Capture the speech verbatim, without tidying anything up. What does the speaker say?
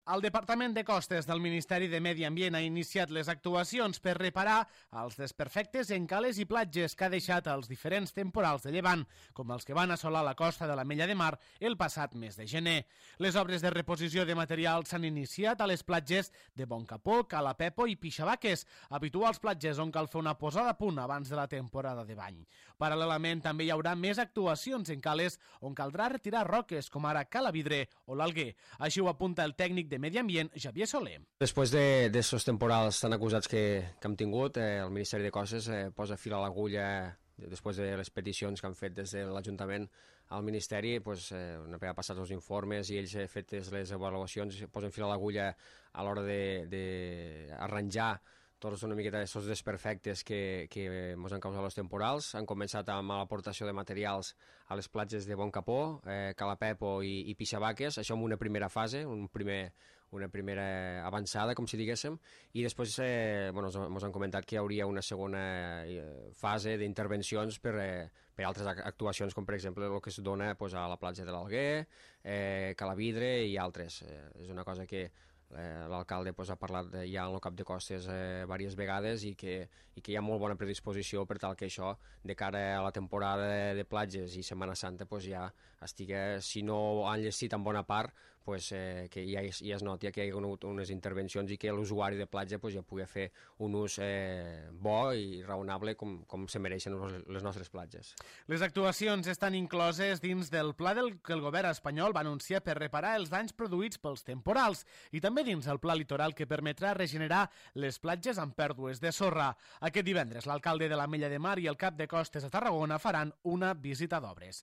El Departament de Costes del Ministeri de Medi Ambient ha iniciat les actuacions per reparar els desperfectes en cales i platges que ha deixat els diferents temporals de llevant, com els que van assolar la costa de l'Ametlla de Mar el passat mes de gener. Les obres de reposició de materials s'han iniciat a les platges de Boncapó, Calapepo i Pixabaques, habituals platges on cal fer una posada a punt abans de la temporada de bany. Paral·lelament, també hi haurà més actuacions en cales on caldrà retirar roques, com ara Calavidre o l'Alguer. Així ho apunta el tècnic de Medi Ambient, Xavier Soler. Després d'aquests de, temporals tan acusats que, que hem tingut, eh, el Ministeri de Costes eh, posa fil a l'agulla després de les peticions que han fet des de l'Ajuntament al Ministeri, pues, eh, una vegada passats els informes i ells eh, fetes les avaluacions, posen fil a l'agulla a l'hora d'arranjar tots una miqueta d'aquests desperfectes que, que ens han causat els temporals. Han començat amb l'aportació de materials a les platges de Boncapó, eh, Calapepo i, i Pixabaques, això en una primera fase, un primer, una primera avançada, com si diguéssim, i després eh, bueno, ens han comentat que hi hauria una segona eh, fase d'intervencions per, eh, per altres actuacions, com per exemple el que es dona pues, a la platja de l'Alguer, eh, Calavidre i altres. Eh, és una cosa que Eh, l'alcalde pues, ha parlat de, ja en el cap de costes eh, diverses vegades i que, i que hi ha molt bona predisposició per tal que això, de cara a la temporada de, de platges i Setmana Santa, pues, ja estigui, si no han llestit en bona part, pues, eh, que ja, ja es noti que hi ha hagut unes intervencions i que l'usuari de platja pues, ja pugui fer un ús eh, bo i raonable com, com se mereixen les nostres platges. Les actuacions estan incloses dins del pla del que el govern espanyol va anunciar per reparar els danys produïts pels temporals i també dins el pla litoral que permetrà regenerar les platges amb pèrdues de sorra. Aquest divendres l'alcalde de l'Ametlla de Mar i el cap de costes a Tarragona faran una visita d'obres.